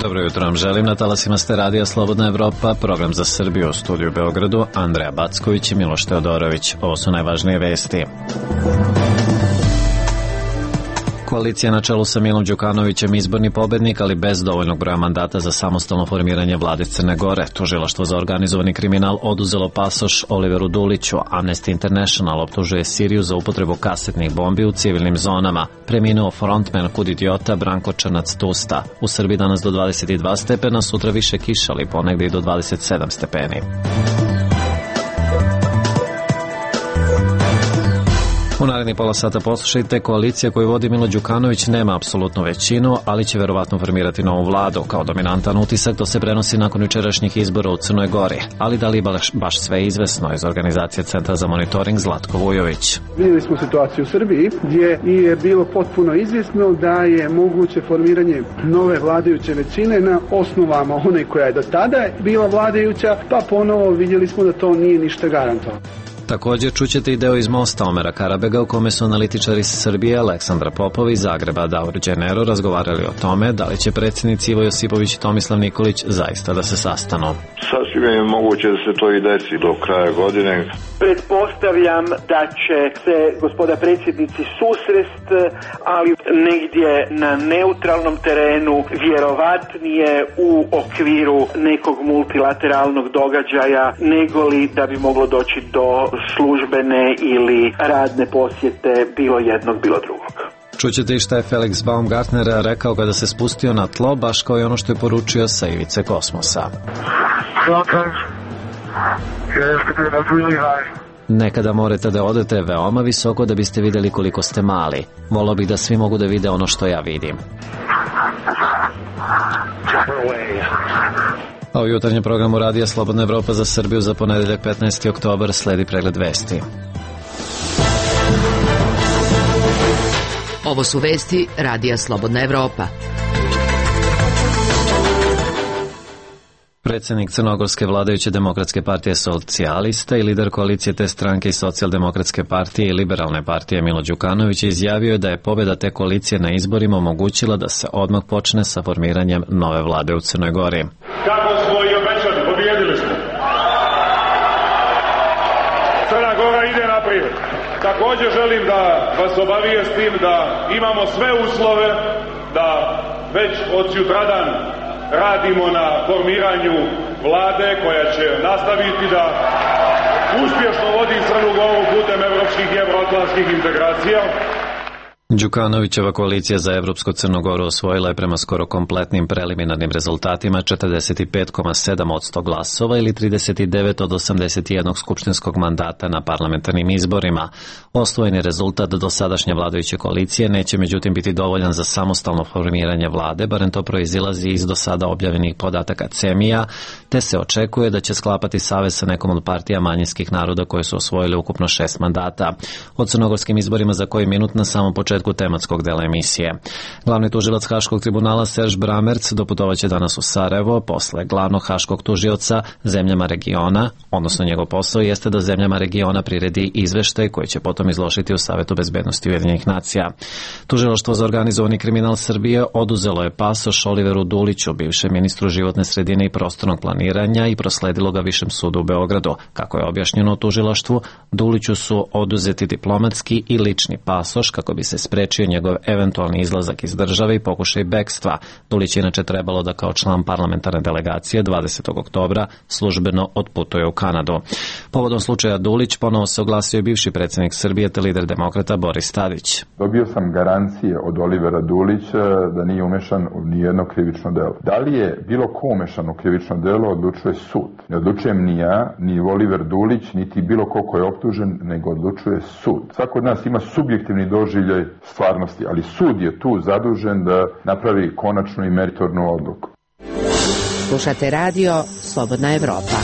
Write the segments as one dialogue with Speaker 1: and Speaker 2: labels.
Speaker 1: Dobro jutro vam želim, na talasima ste radija Slobodna Evropa, program za Srbiju u studiju u Beogradu, Andreja Backović i Miloš Teodorović. Ovo su najvažnije vesti. Koalicija na čelu sa Milom Đukanovićem izborni pobednik, ali bez dovoljnog broja mandata za samostalno formiranje vlade Crne Gore. Tužilaštvo za organizovani kriminal oduzelo pasoš Oliveru Duliću. Amnesty International optužuje Siriju za upotrebu kasetnih bombi u civilnim zonama. Preminuo frontman Kud idiota Branko Črnac-Tusta. U Srbiji danas do 22 stepena, sutra više kiša, ali ponegde i do 27 stepeni. U narednih pola sata poslušajte, koalicija koju vodi Milo Đukanović nema apsolutnu većinu, ali će verovatno formirati novu vladu. Kao dominantan utisak to se prenosi nakon jučerašnjih izbora u Crnoj Gori. Ali da li baš sve izvesno iz organizacije Centra za monitoring Zlatko Vujović?
Speaker 2: Vidjeli smo situaciju u Srbiji gdje je bilo potpuno izvjesno da je moguće formiranje nove vladajuće većine na osnovama one koja je do tada bila vladajuća, pa ponovo vidjeli smo da to nije ništa garantovano.
Speaker 1: Također čućete i deo iz Mosta Omera Karabega u kome su analitičari iz Srbije Aleksandra Popova iz Zagreba Davor Đenero razgovarali o tome da li će predsjednici Ivo Josipović i Tomislav Nikolić zaista da se sastanu.
Speaker 3: Sasvim je moguće da se to i desi do kraja godine.
Speaker 4: Pretpostavljam da će se gospoda predsjednici susrest, ali negdje na neutralnom terenu, vjerovatnije u okviru nekog multilateralnog događaja, negoli da bi moglo doći do službene ili radne posjete bilo jednog, bilo drugog.
Speaker 1: Čućete i šta je Felix Baumgartner rekao kada se spustio na tlo, baš kao i ono što je poručio sa ivice kosmosa. Nekada morate da odete veoma visoko da biste vidjeli koliko ste mali. Volio bih da svi mogu da vide ono što ja vidim. A u jutarnjem programu radija Slobodna Evropa za Srbiju za ponedeljak 15. oktobar sledi pregled vesti.
Speaker 5: Ovo su vesti radija Slobodna Evropa.
Speaker 1: Predsjednik crnogorske vladajuće demokratske partije Socijalista i lider koalicije te stranke i socijaldemokratske partije i liberalne partije Milo Đukanović izjavio da je pobjeda te koalicije na izborima omogućila da se odmah počne sa formiranjem nove vlade u Crnoj Gori.
Speaker 6: Kako smo i obećali, pobijedili smo. Crna Gora ide naprijed. Također želim da vas obavijestim da imamo sve uslove da već od sutradan radimo na formiranju vlade koja će nastaviti da uspješno vodi Crnu Goru putem evropskih i evroatlantskih integracija.
Speaker 1: Đukanovićeva koalicija za Evropsku Crnu Goru osvojila je prema skoro kompletnim preliminarnim rezultatima 45,7% glasova ili 39 od 81 skupštinskog mandata na parlamentarnim izborima. Osvojeni rezultat dosadašnje vladajuće koalicije neće međutim biti dovoljan za samostalno formiranje vlade, barem to proizilazi iz do sada objavljenih podataka CEMIA, te se očekuje da će sklapati savez sa nekom od partija manjinskih naroda koje su osvojili ukupno 6 mandata. O crnogorskim izborima za koji minut na samom početku tematskog dela emisije. Glavni tužilac Haškog tribunala Serž Bramerc doputovaće danas u Sarajevo posle glavnog haškog tužioca zemljama regiona, odnosno njegov posao jeste da zemljama regiona priredi izveštaj koji će potom izložiti u Savetu bezbednosti Ujedinjenih nacija. Tužilaštvo za organizovani kriminal Srbije oduzelo je pasoš Oliveru Duliću, bivšem ministru životne sredine i prostornog planiranja, i prosledilo ga Višem sudu u Beogradu. Kako je objašnjeno u tužilaštvu, Duliću su oduzeti diplomatski i lični pasoš kako bi se sprečio njegov eventualni izlazak iz države i pokušaj bekstva. Dulić je inače trebalo da kao član parlamentarne delegacije 20. oktobra službeno otputuje u Kanadu. Povodom slučaja Dulić ponovo se oglasio bivši predsjednik Srbije te lider demokrata Boris Tadić.
Speaker 7: Dobio sam garancije od Olivera Dulića da nije umešan u nijedno krivično delo. Da li je bilo ko umešan u krivično delo odlučuje sud. Ne odlučujem ni ja, ni Oliver Dulić, niti bilo ko je optužen, nego odlučuje sud. Svako od nas ima subjektivni doživljaj stvarnosti, ali sud je tu zadužen da napravi konačnu i meritornu odluku.
Speaker 5: Slušate radio Slobodna Evropa.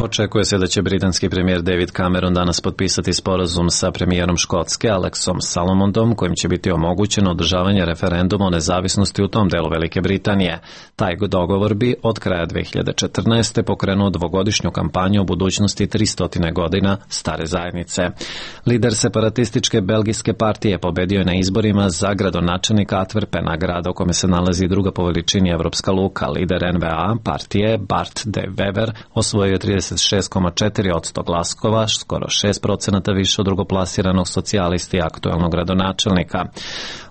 Speaker 1: Očekuje se da će britanski premijer David Cameron danas potpisati sporazum sa premijerom Škotske Alexom Salmondom, kojim će biti omogućeno održavanje referenduma o nezavisnosti u tom delu Velike Britanije. Taj dogovor bi od kraja 2014. pokrenuo dvogodišnju kampanju o budućnosti 300 godina stare zajednice. Lider separatističke belgijske partije pobedio je na izborima za gradonačelnika Antwerpena, grada u kome se nalazi druga po veličini evropska luka. Lider NVA partije Bart de Wever osvojio 36,4% glasova, skoro 6% više od drugoplasiranog socijalisti i aktuelnog gradonačelnika.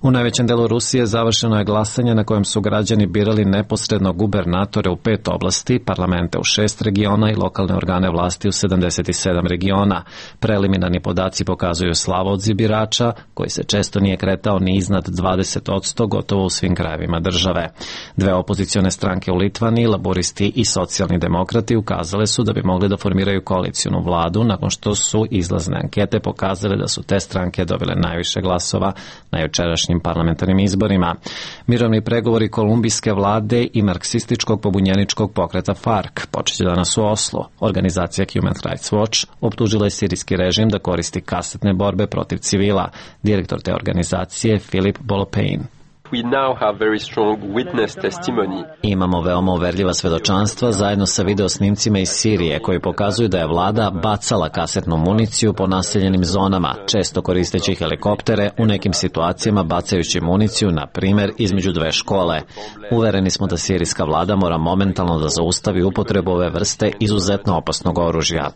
Speaker 1: U najvećem delu Rusije završeno je glasanje na kojem su građani birali neposredno gubernatore u 5 oblasti, parlamente u 6 regiona i lokalne organe vlasti u 77 regiona. Preliminarni podaci pokazuju slavodzi birača, koji se često nije kretao ni iznad 20%, gotovo u svim krajevima države. Dve opozicione stranke u Litvaniji, laboristi i socijalni demokrati, ukazale su da bi mogli da formiraju koalicijnu vladu nakon što su izlazne ankete pokazale da su te stranke dobile najviše glasova na jučerašnjim parlamentarnim izborima. Mirovni pregovori kolumbijske vlade i marksističkog pobunjeničkog pokreta FARC počeće danas u Oslu. Organizacija Human Rights Watch optužila je sirijski režim da koristi kasetne borbe protiv civila. Direktor te organizacije Filip Bolopein. Imamo veoma uverljiva svedočanstva zajedno sa videosnimcima iz Sirije koji pokazuju da je vlada bacala kasetnu municiju po naseljenim zonama, često koristeći helikoptere, u nekim situacijama bacajući municiju, na primer, između dve škole. Uvereni smo da sirijska vlada mora momentalno da zaustavi upotrebu ove vrste izuzetno opasnog oružja.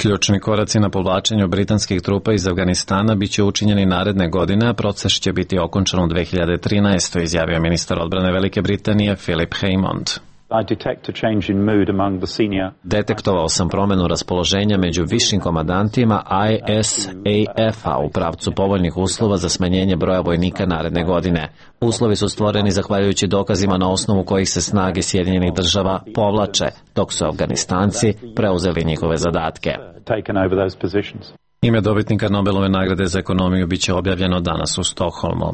Speaker 1: Ključni koraci na povlačenju britanskih trupa iz Afganistana biće učinjeni naredne godine, a proces će biti okončan u 2013. izjavio ministar odbrane Velike Britanije Philip Hammond. Detektovao sam promenu raspoloženja među višim komandantima ISAF-a u pravcu povoljnih uslova za smanjenje broja vojnika naredne godine. Uslovi su stvoreni zahvaljujući dokazima na osnovu kojih se snage Sjedinjenih država povlače, dok su Afganistanci preuzeli njihove zadatke. Ime dobitnika Nobelove nagrade za ekonomiju biće objavljeno danas u Stokholmu.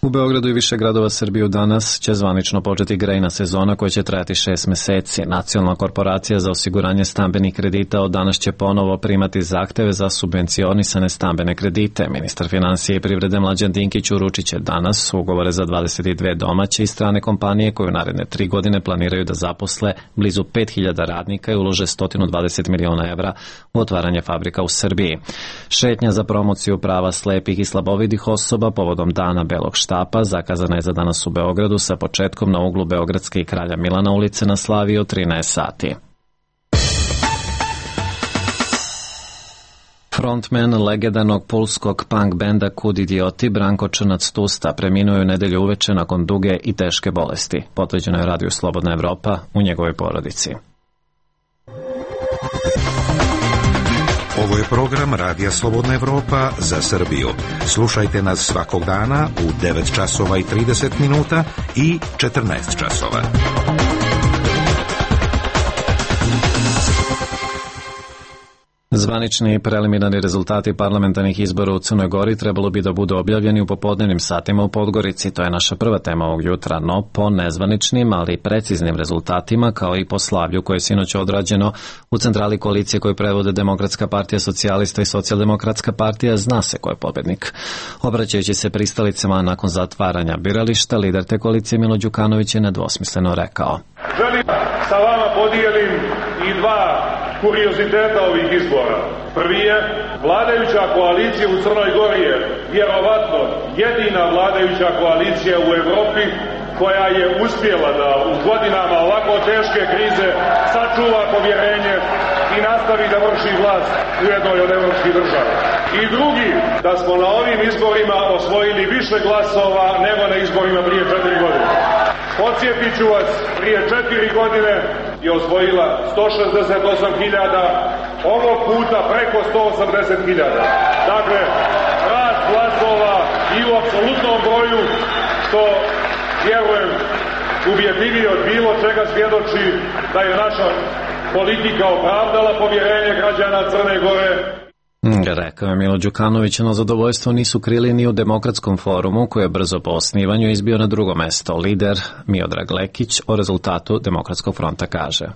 Speaker 1: U Beogradu i više gradova Srbije danas će zvanično početi grejna sezona koja će trajati 6 meseci. Nacionalna korporacija za osiguranje stambenih kredita od danas će ponovo primati zahteve za subvencionisane stambene kredite. Ministar finansije i privrede Mlađan Dinkić uručit će danas ugovore za 22 domaće i strane kompanije koje u naredne 3 godine planiraju da zaposle blizu 5000 radnika i ulože 120 miliona evra u otvaranje fabrika u Srbiji. Šetnja za promociju prava slepih i slabovidih osoba povodom Dana belog štapa zakazana je za danas u Beogradu sa početkom na uglu Beogradske i Kralja Milana ulice na Slaviji od 13 sati. Frontman legendarnog pulskog punk benda Kud idioti Branko Črnac Tusta preminuo je u nedelju uveče nakon duge i teške bolesti. Potvrđeno je Radio Slobodna Evropa u njegovoj porodici.
Speaker 8: Ovo je program Radija Slobodna Evropa za Srbiju. Slušajte nas svakog dana u 9 časova i 30 minuta i 14 časova.
Speaker 1: Zvanični i preliminarni rezultati parlamentarnih izbora u Crnoj Gori trebalo bi da budu objavljeni u popodnevnim satima u Podgorici. To je naša prva tema ovog jutra, no po nezvaničnim, ali preciznim rezultatima, kao i po slavlju koje je sinoć odrađeno u centrali koalicije koju predvode Demokratska partija socijalista i Socijaldemokratska partija, zna se ko je pobednik. Obraćajući se pristalicama nakon zatvaranja birališta, lider te koalicije Milo Đukanović je nedvosmisleno rekao:
Speaker 6: Želim sa vama podijelim i dva kurioziteta ovih izbora. Prvi je, vladajuća koalicija u Crnoj Gori je vjerovatno jedina vladajuća koalicija u Evropi koja je uspjela da u godinama ovako teške krize sačuva povjerenje i nastavi da vrši vlast u jednoj od evropskih država. I drugi, da smo na ovim izborima osvojili više glasova nego na izborima prije 4 godine. Podsjetit ću vas, prije 4 godine je osvojila 168.000, ovog puta preko 180.000. Dakle, rast glasova i u apsolutnom broju, što vjerujem ubjedljivije od bilo čega svjedoči da je naša politika opravdala povjerenje građana Crne Gore.
Speaker 1: Rekao je Milo Đukanović, no zadovoljstvo nisu krili ni u Demokratskom forumu, koji je brzo po osnivanju izbio na drugo mesto. Lider Miodrag Lekić o rezultatu Demokratskog fronta kaže: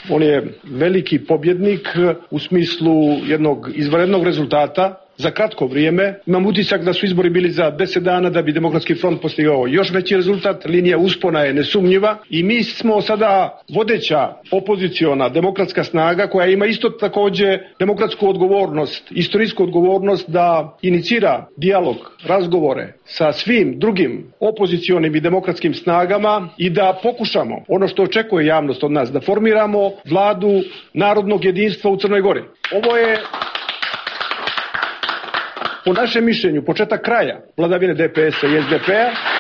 Speaker 9: On je veliki pobjednik u smislu jednog izvanrednog rezultata za kratko vrijeme. Imam utisak da su izbori bili za 10 dana, da bi Demokratski front postigao još veći rezultat. Linija uspona je nesumnjiva i mi smo sada vodeća opoziciona demokratska snaga koja ima isto također demokratsku odgovornost, istorijsku odgovornost da inicira dijalog, razgovore sa svim drugim opozicionim i demokratskim snagama i da pokušamo ono što očekuje javnost od nas, da formiramo vladu narodnog jedinstva u Crnoj Gori. Ovo je po našem mišljenju početak kraja vladavine DPS-a i SDP-a.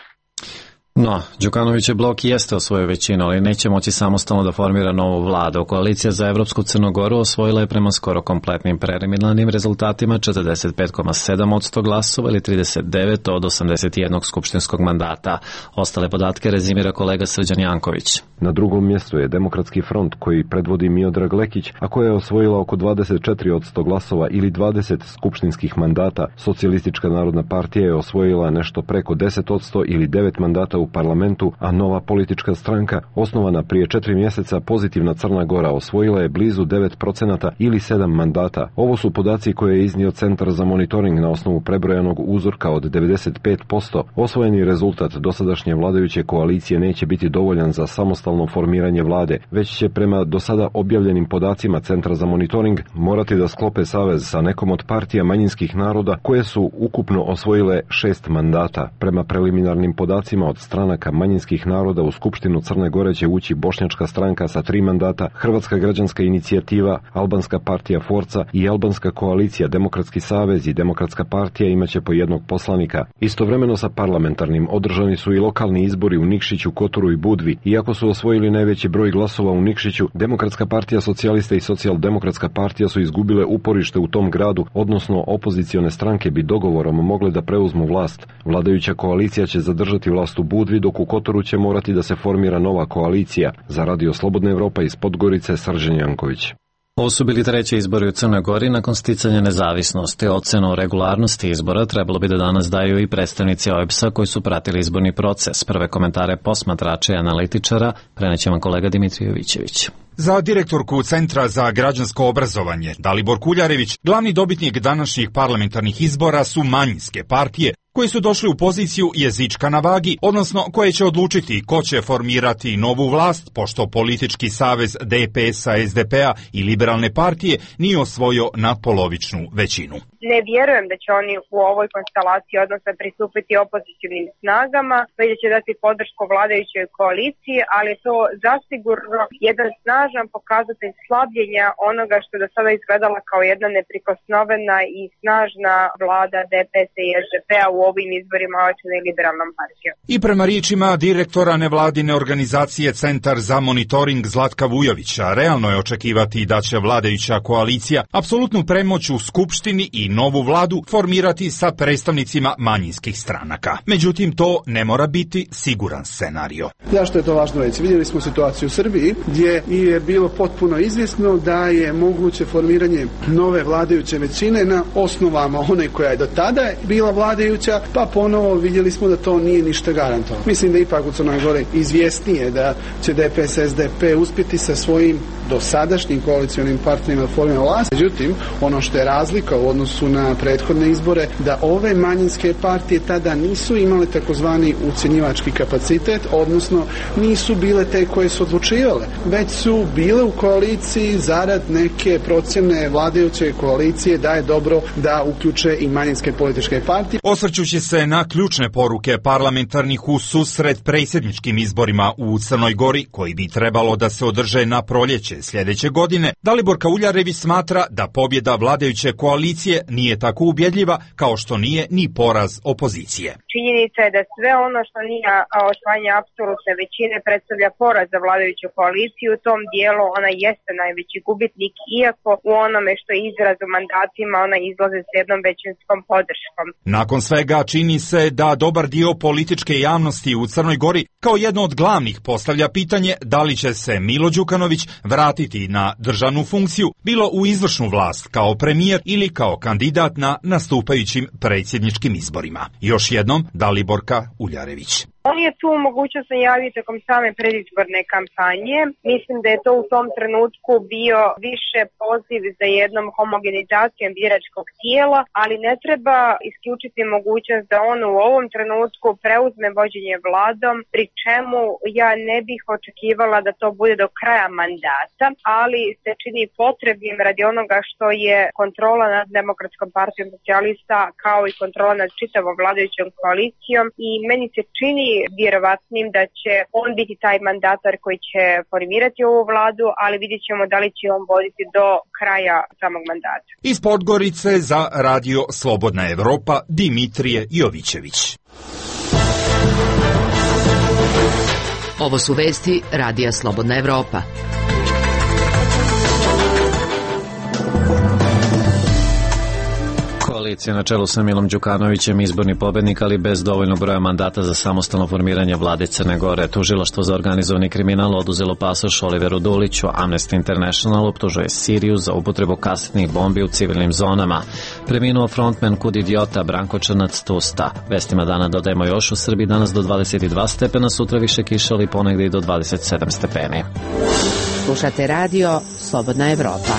Speaker 1: No, Đukanovićev blok jeste osvojio većinu, ali neće moći samostalno da formira novu vladu. Koalicija za Evropsku Crnogoru osvojila je prema skoro kompletnim preliminarnim rezultatima 45,7% glasova ili 39 od 81 skupštinskog mandata. Ostale podatke rezimira kolega Srđan Janković.
Speaker 10: Na drugom mjestu je Demokratski front koji predvodi Miodrag Lekić, a koja je osvojila oko 24% glasova ili 20 skupštinskih mandata. Socijalistička narodna partija je osvojila nešto preko 10% ili 9 mandata u parlamentu, a Nova politička stranka, osnovana prije 4 mjeseca, Pozitivna Crna Gora, osvojila je blizu 9% ili 7 mandata. Ovo su podaci koje je iznio Centar za monitoring na osnovu prebrojanog uzorka od 95%. Osvojeni rezultat dosadašnje vladajuće koalicije neće biti dovoljan za samostalno formiranje vlade, već će prema do sada objavljenim podacima Centra za monitoring morati da sklope savez sa nekom od partija manjinskih naroda koje su ukupno osvojile 6 mandata. Prema preliminarnim podacima od stranaka manjinskih naroda u Skupštinu Crne Gore će ući Bošnjačka stranka sa 3 mandata, Hrvatska građanska inicijativa, Albanska partija Forca i Albanska koalicija Demokratski savez i Demokratska partija imaće po jednog poslanika. Istovremeno sa parlamentarnim održani su i lokalni izbori u Nikšiću, Kotoru i Budvi. Iako su osvojili najveći broj glasova u Nikšiću, Demokratska partija socijalista i Socijaldemokratska partija su izgubile uporište u tom gradu, odnosno opozicione stranke bi dogovorom mogle da preuzmu vlast. Vladajuća koalicija će zadržati vlast u Budvi, dok u Kotoru će morati da se formira nova koalicija. Za Radio Slobodna Evropa iz Podgorice, Srđan Janković.
Speaker 1: Ovo su bili treći izbori u Crnoj Gori nakon sticanja nezavisnosti. Ocenu o regularnosti izbora trebalo bi da danas daju i predstavnici OEBS-a koji su pratili izborni proces. Prve komentare posmatrača i analitičara preneće vam kolega Dimitrij Jovićević.
Speaker 11: Za direktorku Centra za građansko obrazovanje Dalibor Kuljarević, glavni dobitnik današnjih parlamentarnih izbora su manjinske partije koji su došli u poziciju jezička na vagi, odnosno koje će odlučiti ko će formirati novu vlast, pošto politički savez DPS-a, SDP-a i liberalne partije nije osvojio nadpolovičnu većinu.
Speaker 12: Ne vjerujem da će oni u ovoj konstelaciji, odnosno pristupiti opozicionim snagama, već će dati podršku vladajućoj koaliciji, ali je to zasigurno jedan snažan pokazatelj slabljenja onoga što je do sada izgledala kao jedna neprikosnovena i snažna vlada DPS-a i SDP-a u ovim izborima očene liberalnom partijom.
Speaker 11: I prema riječima direktora nevladine organizacije Centar za monitoring Zlatka Vujovića, realno je očekivati da će vladajuća koalicija apsolutnu premoć u Skupštini i novu vladu formirati sa predstavnicima manjinskih stranaka. Međutim, to ne mora biti siguran scenario.
Speaker 2: Zašto je to važno reći? Vidjeli smo situaciju u Srbiji gdje je bilo potpuno izvjesno da je moguće formiranje nove vladajuće većine na osnovama one koja je do tada bila vladajuća, pa ponovo vidjeli smo da to nije ništa garantovano. Mislim da ipak u Crnoj Gori izvjesnije da će DPS SDP uspjeti sa svojim dosadašnjim koalicionim partnerima da formiraju vlast. Međutim, ono što je razlika u odnosu na prethodne izbore, da ove manjinske partije tada nisu imale takozvani ucjenjivački kapacitet, odnosno nisu bile te koje su odlučivale, već su bile u koaliciji zarad neke procjene vladajuće koalicije da je dobro da uključe i manjinske političke partije.
Speaker 11: Osvrćući se na ključne poruke parlamentarnih u susret predsjedničkim izborima u Crnoj Gori, koji bi trebalo da se održe na proljeće sljedeće godine, Dalibor Kuljarević smatra da pobjeda vladajuće koalicije nije tako ubjedljiva kao što nije ni poraz opozicije.
Speaker 12: Činjenica je da sve ono što nije osvajanje apsolutne većine predstavlja poraz za vladajuću koaliciju. U tom dijelu ona jeste najveći gubitnik, iako u onome što je izraz u mandatima ona izlaze s jednom većinskom podrškom.
Speaker 11: Nakon svega čini se da dobar dio političke javnosti u Crnoj Gori kao jedno od glavnih postavlja pitanje da li će se Milo Đukanović vratiti vratiti na državnu funkciju, bilo u izvršnu vlast kao premijer ili kao kandidat na nastupajućim predsjedničkim izborima. Još jednom, Daliborka Uljarević.
Speaker 12: On je tu mogućnost najavio tokom same predizborne kampanje. Mislim da je to u tom trenutku bio više poziv za jednom homogenizacijom biračkog tijela, ali ne treba isključiti mogućnost da on u ovom trenutku preuzme vođenje vladom, pri čemu ja ne bih očekivala da to bude do kraja mandata, ali se čini potrebnim radi onoga što je kontrola nad Demokratskom partijom socijalista kao i kontrola nad čitavom vladajućom koalicijom i meni se čini vjerovatnim da će on biti taj mandatar koji će formirati ovu vladu, ali vidjet ćemo da li će on voditi do kraja samog mandata.
Speaker 11: Iz Podgorice za Radio Slobodna Evropa Dimitrije Jovićević.
Speaker 5: Ovo su vesti Radija Slobodna Evropa.
Speaker 1: Koalicija na čelu sa Milom Đukanovićem izborni pobednik, ali bez dovoljnog broja mandata za samostalno formiranje vlade Crne Gore. Tužilaštvo za organizovani kriminal oduzelo pasoš Oliveru Duliću. Amnesty International optužuje Siriju za upotrebu kasetnih bombi u civilnim zonama. Preminuo frontman Kud idiota Branko Črnac Tusta. Vestima dana dodajemo još: u Srbiji danas do 22 stepena, sutra više kiša, ali ponegde i do 27 stepeni.
Speaker 5: Slušate radio Slobodna Evropa.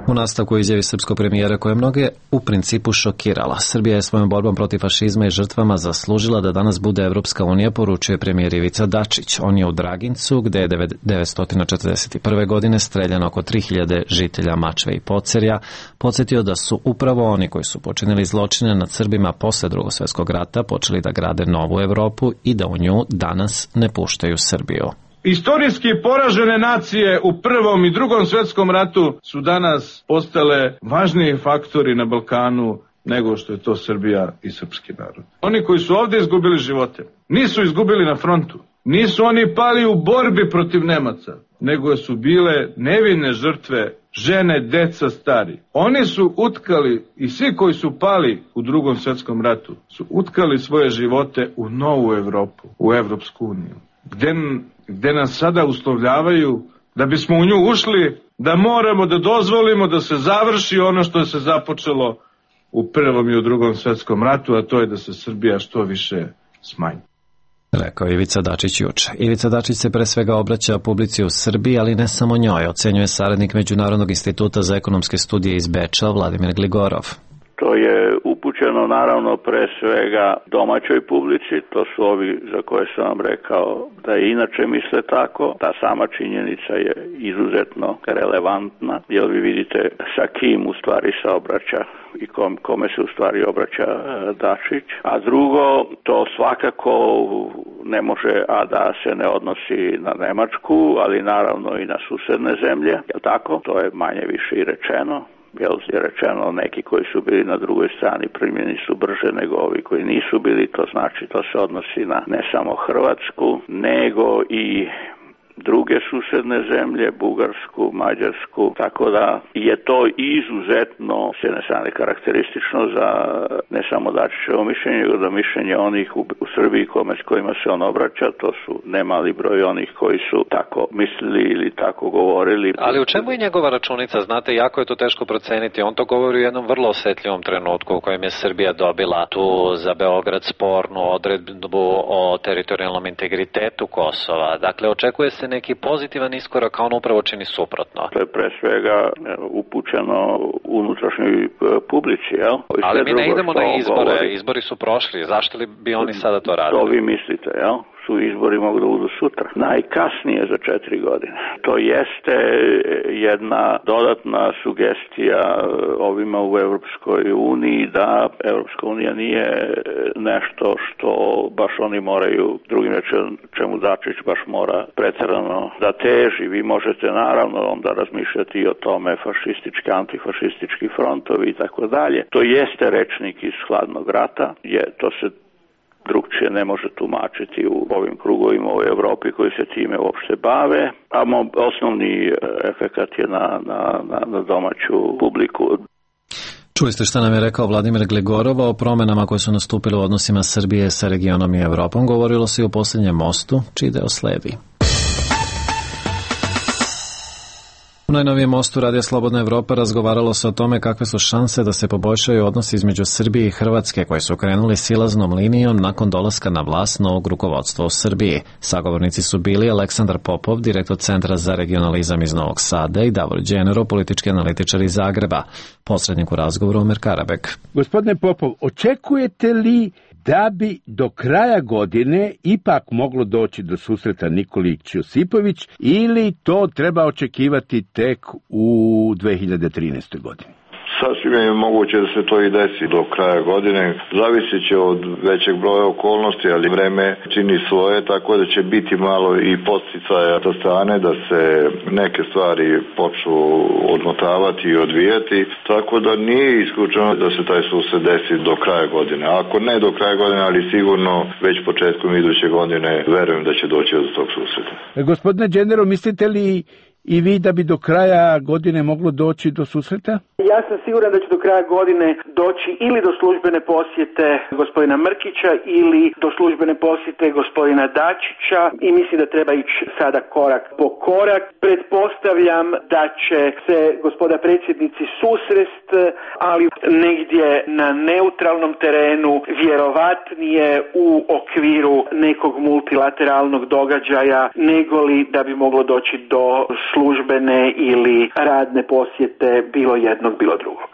Speaker 1: U nastavku izjavi srpskog premijera koja je mnoge u principu šokirala. Srbija je svojom borbom protiv fašizma i žrtvama zaslužila da danas bude Evropska unija, poručuje premijer Ivica Dačić. On je u Dragincu, gde je 1941. godine streljano oko 3000 žitelja Mačve i Pocerja, podsjetio da su upravo oni koji su počinili zločine nad Srbima posle Drugog svjetskog rata počeli da grade novu Evropu i da u nju danas ne puštaju Srbiju.
Speaker 13: Istorijski poražene nacije u Prvom i Drugom svjetskom ratu su danas postale važniji faktori na Balkanu nego što je to Srbija i srpski narod. Oni koji su ovdje izgubili živote nisu izgubili na frontu, nisu oni pali u borbi protiv Nemaca, nego su bile nevine žrtve, žene, deca, stari. Oni su utkali, i svi koji su pali u Drugom svjetskom ratu su utkali svoje živote u novu Evropu, u Evropsku uniju, gde nas sada uslovljavaju da bismo u nju ušli, da moramo da dozvolimo da se završi ono što se započelo u Prvom i u Drugom svjetskom ratu, a to je da se Srbija što više smanji.
Speaker 1: Rekao Ivica Dačić juče. Ivica Dačić se pre svega obraća publici u Srbiji, ali ne samo njoj, ocenjuje saradnik Međunarodnog instituta za ekonomske studije iz Beča, Vladimir Gligorov.
Speaker 14: To je upućeno naravno pre svega domaćoj publici, to su ovi za koje sam vam rekao da i inače misle tako. Ta sama činjenica je izuzetno relevantna, jer vi vidite sa kim u stvari se obraća i kome se u stvari obraća Dačić. A drugo, to svakako ne može da se ne odnosi na Nemačku, ali naravno i na susedne zemlje, jel tako? To je manje više i rečeno. Jel je rečeno, neki koji su bili na drugoj strani primljeni su brže nego ovi koji nisu bili, to znači to se odnosi na ne samo Hrvatsku, nego i druge susedne zemlje, Bugarsku, Mađarsku, tako da je to izuzetno s jedne strane karakteristično za ne samo Dačićevo mišljenje, nego da mišljenje onih u Srbiji s kojima se on obraća, to su nemali broj onih koji su tako mislili ili tako govorili.
Speaker 1: Ali u čemu je njegova računica? Znate, jako je to teško proceniti. On to govori u jednom vrlo osetljivom trenutku u kojem je Srbija dobila tu za Beograd spornu odredbu o teritorijalnom integritetu Kosova. Dakle, očekuje se neki pozitivan iskorak, a on upravo čini suprotno.
Speaker 14: To je pre svega upućeno unutrašnjoj publici, jel?
Speaker 1: Ali mi ne idemo na izbore, izbori su prošli, zašto li bi oni sada to radili?
Speaker 14: To vi mislite, jel? Su izbori mogu da budu sutra. Najkasnije za 4 godine. To jeste jedna dodatna sugestija ovima u Evropskoj uniji da Evropska unija nije nešto što baš oni moraju, drugim rečem čemu Dačić baš mora preterano da teži. Vi možete naravno onda razmišljati i o tome fašistički, antifašistički frontovi i tako dalje. To jeste rečnik iz hladnog rata, to se drugčije ne može tumačiti u ovim krugovima u Evropi koji se time uopšte bave, a osnovni efekat je na domaću publiku.
Speaker 1: Čuli ste šta nam je rekao Vladimir Gligorov o promenama koje su nastupile u odnosima Srbije sa regionom i Evropom. Govorilo se i o posljednjem mostu, čiji deo sledi. U najnovijem mostu Radija Slobodna Evropa razgovaralo se o tome kakve su šanse da se poboljšaju odnosi između Srbije i Hrvatske, koji su krenuli silaznom linijom nakon dolaska na vlast novog rukovodstva u Srbiji. Sagovornici su bili Aleksandar Popov, direktor Centra za regionalizam iz Novog Sada, i Davor Đenero, politički analitičar iz Zagreba. Posrednik u razgovoru Omer Karabek.
Speaker 15: Gospodine Popov, očekujete li da bi do kraja godine ipak moglo doći do susreta Nikolić Josipović ili to treba očekivati tek u 2013. godini?
Speaker 3: Sasvim je moguće da se to i desi do kraja godine. Zavisit će od većeg broja okolnosti, ali vreme čini svoje, tako da će biti malo i podsticaja sa strane da se neke stvari počnu odmotavati i odvijati, tako da nije isključeno da se taj susret desi do kraja godine. Ako ne do kraja godine, ali sigurno već početkom iduće godine verujem da će doći do tog susreta.
Speaker 15: Gospodine Đenero, mislite li i vi da bi do kraja godine moglo doći do susreta?
Speaker 4: Ja sam siguran da će do kraja godine doći ili do službene posjete gospodina Mrkića ili do službene posjete gospodina Dačića i mislim da treba ići sada korak po korak. Pretpostavljam da će se gospoda predsjednici susrest, ali negdje na neutralnom terenu, vjerovatnije u okviru nekog multilateralnog događaja, negoli da bi moglo doći do službene ili radne posjete bilo jednog, bilo drugog.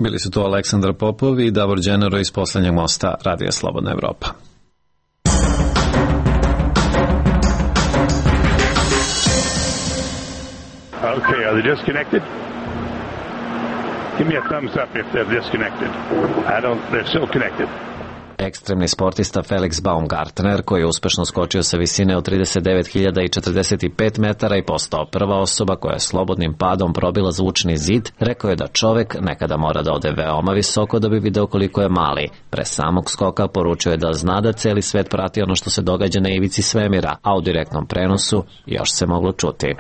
Speaker 1: Bili su to Aleksandar Popov i Davor Đenero iz poslednjeg mosta Radija Slobodna Evropa.
Speaker 16: Okay, are they disconnected? Give me a thumbs up if they're disconnected. They're still connected.
Speaker 1: Ekstremni sportista Felix Baumgartner, koji je uspešno skočio sa visine od 39.045 metara i postao prva osoba koja je slobodnim padom probila zvučni zid, rekao je da čovek nekada mora da ode veoma visoko da bi video koliko je mali. Pre samog skoka poručio je da zna da celi svet prati ono što se događa na ivici svemira, a u direktnom prenosu još se moglo čuti.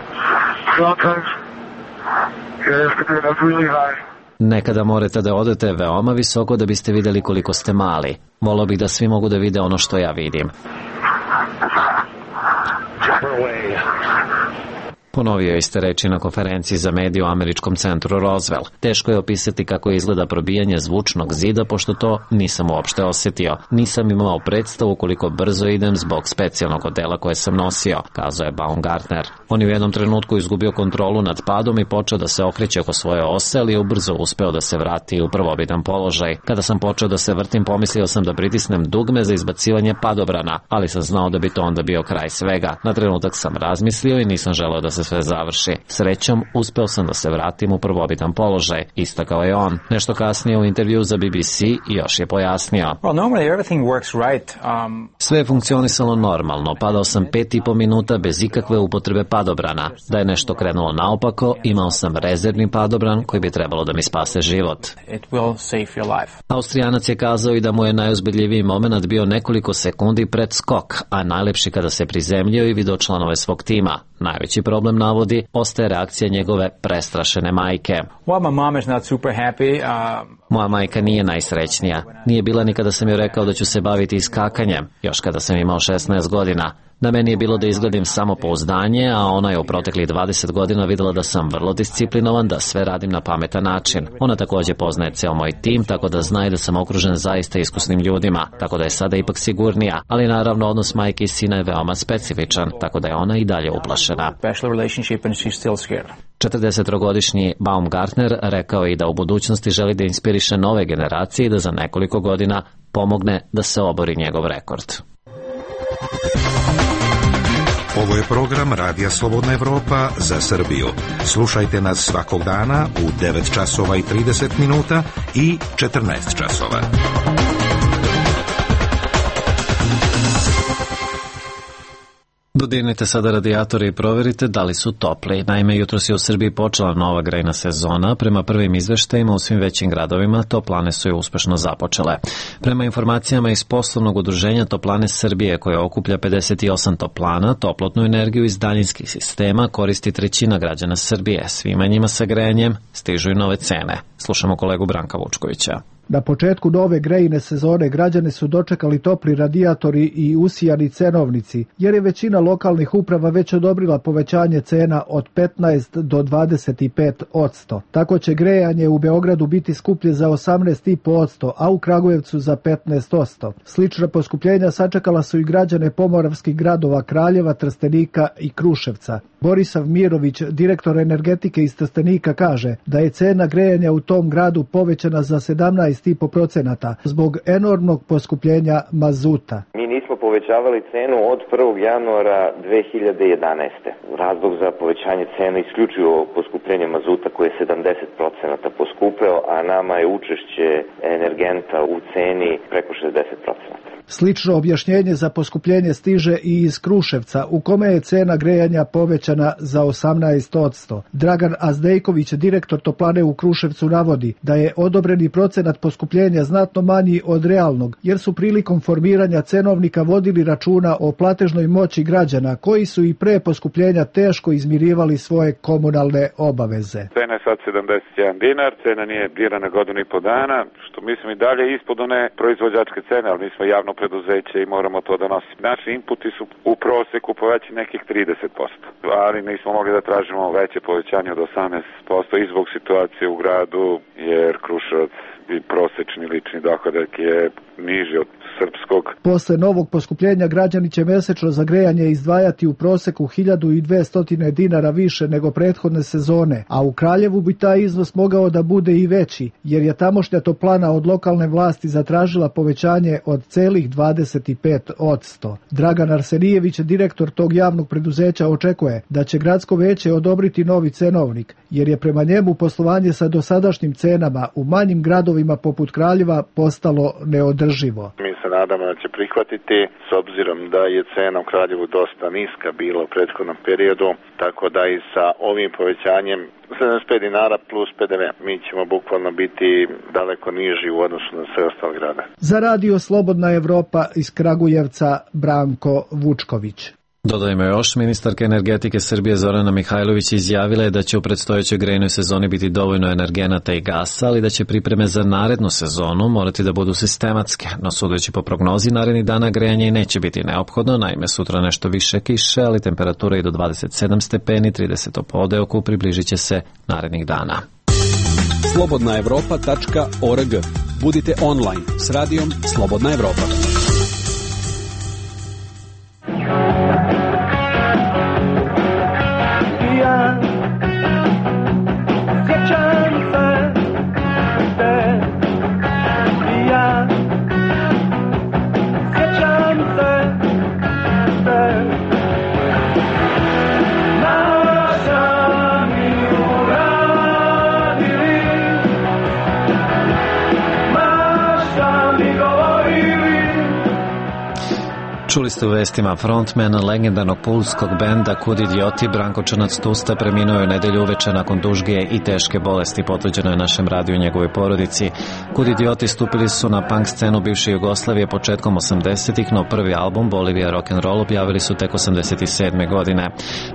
Speaker 1: Nekada morate da odete veoma visoko da biste videli koliko ste mali. Volio bih da svi mogu da vide ono što ja vidim. Ponovio iste reči na konferenciji za medije u američkom centru Roswell. Teško je opisati kako izgleda probijanje zvučnog zida, pošto to nisam uopšte osetio. Nisam imao predstavu koliko brzo idem zbog specijalnog odela koje sam nosio, kazao je Baumgartner. On je u jednom trenutku izgubio kontrolu nad padom i počeo da se okreće oko svoje ose, ali je ubrzo uspeo da se vrati u prvobitan položaj. Kada sam počeo da se vrtim, pomislio sam da pritisnem dugme za izbacivanje padobrana, ali sam znao da bi to onda bio kraj svega. Na trenutak sam razmislio i nisam želeo da se sve završi. Srećom, uspeo sam da se vratim u prvobitan položaj, istakao je on. Nešto kasnije u intervju za BBC još je pojasnio. Sve je funkcionisalo normalno, padao sam 5,5 minuta bez ikakve upotrebe padobrana. Da je nešto krenulo naopako, imao sam rezervni padobran koji bi trebalo da mi spase život. Austrijanac je kazao i da mu je najuzbudljiviji moment bio nekoliko sekundi pred skok, a najlepši kada se prizemljio i video članove svog tima. Najveći problem, navodi, ostaje reakcija njegove prestrašene majke. Moja majka nije najsrećnija. Nije bila ni kada sam joj rekao da ću se baviti iskakanjem, još kada sam imao 16 godina. Na meni je bilo da izgledim samopouzdanje, a ona je u proteklih 20 godina videla da sam vrlo disciplinovan, da sve radim na pametan način. Ona takođe poznaje ceo moj tim, tako da zna i da sam okružen zaista iskusnim ljudima, tako da je sada ipak sigurnija, ali naravno odnos majke i sina je veoma specifičan, tako da je ona i dalje uplašena. 43-godišnji Baumgartner rekao je i da u budućnosti želi da inspiriše nove generacije i da za nekoliko godina pomogne da se obori njegov rekord.
Speaker 8: Ovo je program Radija Slobodna Evropa za Srbiju. Slušajte nas svakog dana u 9 časova i 30 minuta i 14 časova.
Speaker 1: Dodirnite sada radijatore i proverite da li su topli. Naime, jutros je u Srbiji počela nova grejna sezona. Prema prvim izveštajima u svim većim gradovima toplane su je uspešno započele. Prema informacijama iz poslovnog udruženja Toplane Srbije, koje okuplja 58 toplana, toplotnu energiju iz daljinskih sistema koristi trećina građana Srbije. Svima njima sa grejanjem stižu i nove cene. Slušamo kolegu Branka Vučkovića.
Speaker 17: Na početku nove grejne sezone građane su dočekali topli radijatori i usijani cenovnici, jer je većina lokalnih uprava već odobrila povećanje cena od 15 do 25%. Tako će grejanje u Beogradu biti skuplje za 18,5%, a u Kragujevcu za 15%. Slična poskupljenja sačekala su i građane pomoravskih gradova Kraljeva, Trstenika i Kruševca. Borisav Mirović, direktor energetike iz Trstenika, kaže da je cena grejanja u tom gradu povećana za 17,5% zbog enormnog poskupljenja mazuta.
Speaker 18: Mi nismo povećavali cenu od 1. januara 2011. Razlog za povećanje cene isključivo poskupljenje mazuta koje je 70% poskupeo, a nama je učešće energenta u ceni preko 60%.
Speaker 17: Slično objašnjenje za poskupljenje stiže i iz Kruševca, u kome je cena grejanja povećana za 18%. Dragan Azdejković, direktor toplane u Kruševcu, navodi da je odobreni procenat poskupljenja znatno manji od realnog, jer su prilikom formiranja cenovnika vodili računa o platežnoj moći građana, koji su i pre poskupljenja teško izmirivali svoje komunalne obaveze.
Speaker 19: Cena je sad 71 dinar, cena nije dirana godinu i po dana, što mislim i dalje ispod one proizvođačke cene, ali mi smo javno preduzeće i moramo to da nosimo. Naši inputi su u proseku povećani nekih 30%, ali nismo mogli da tražimo veće povećanje od 18% i zbog situacije u gradu, jer Kruševac i prosečni lični dohodak je niži od srpskog.
Speaker 17: Posle novog poskupljenja građani će mesečno za grejanje izdvajati u proseku 1200 dinara više nego prethodne sezone, a u Kraljevu bi taj iznos mogao da bude i veći, jer je tamošnja toplana od lokalne vlasti zatražila povećanje od celih 25%. Dragan Arsenijević, direktor tog javnog preduzeća, očekuje da će gradsko veće odobriti novi cenovnik, jer je prema njemu poslovanje sa dosadašnjim cenama u manjim gradovima poput Kraljeva postalo neodrživo.
Speaker 3: Mi se nadamo da će prihvatiti, s obzirom da je cena u Kraljevu dosta niska bila u prethodnom periodu, tako da i sa ovim povećanjem 75 dinara plus PDV, mi ćemo bukvalno biti daleko niži u odnosu na sve ostale grade.
Speaker 17: Za radio Slobodna Evropa iz Kragujevca, Branko Vučković.
Speaker 1: Dodajmo još, ministarka energetike Srbije Zorana Mihajlović izjavila je da će u predstojećoj grejnoj sezoni biti dovoljno energenata i gasa, ali da će pripreme za narednu sezonu morati da budu sistematske. No sudeći po prognozi, narednih dana grejanje i neće biti neophodno, naime sutra nešto više kiše, ali temperatura i do 27 stepeni, 30 po odeoku, približit će se narednih dana.
Speaker 20: slobodnaevropa.org. Budite online s radijom Slobodna Evropa.
Speaker 1: Čuli ste u vestima, frontman legendarnog pulskog benda Kud idioti Branko Črnac-Tusta preminuo je u nedelju uveče nakon dužge i teške bolesti, potvrđeno je našem radiju i njegovoj porodici. Kud idioti stupili su na punk scenu bivše Jugoslavije početkom 80-ih, no prvi album Bolivija Rock'n'Roll objavili su tek 87. godine.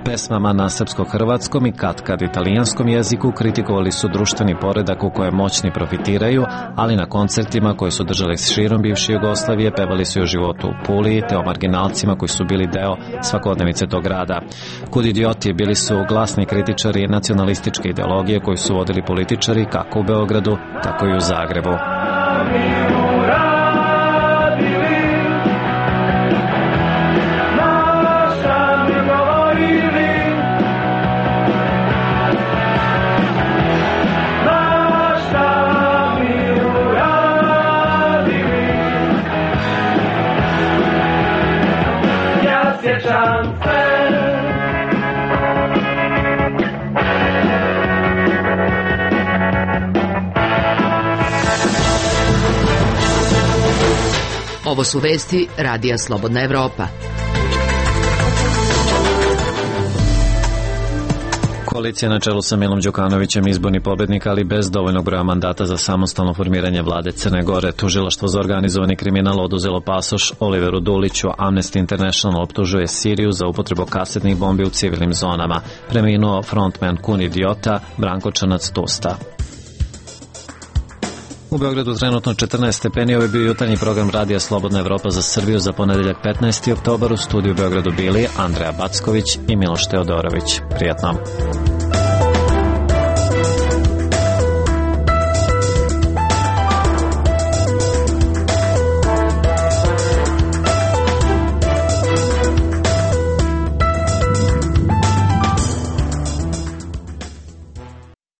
Speaker 1: Pesmama na srpsko-hrvatskom i katkad italijanskom jeziku kritikovali su društveni poredak u kojem moćni profitiraju, ali na koncertima koji su držali širom bivše Jugoslavije pevali su o životu u Puli te o marginalcima koji su bili deo svakodnevice tog grada. Kud idioti bili su glasni kritičari nacionalističke ideologije koju su vodili političari kako u Beogradu, tako i u Zagrebu.
Speaker 5: Ovo su vesti Radija Slobodna Evropa.
Speaker 1: Koalicija na čelu sa Milom Đukanovićem izborni pobednik, ali bez dovoljnog broja mandata za samostalno formiranje vlade Crne Gore. Tužilaštvo za organizovani kriminal oduzelo pasoš Oliveru Duliću. Amnesty International optužuje Siriju za upotrebu kasetnih bombi u civilnim zonama. Preminuo frontman Kud idiota Branko Črnac-Tusta. U Beogradu trenutno 14 stepeni, ovo je bio jutarnji program Radija Slobodna Evropa za Srbiju za ponedeljak 15. oktobar. U studiju u Beogradu bili Andreja Backović i Miloš Teodorović. Prijatno.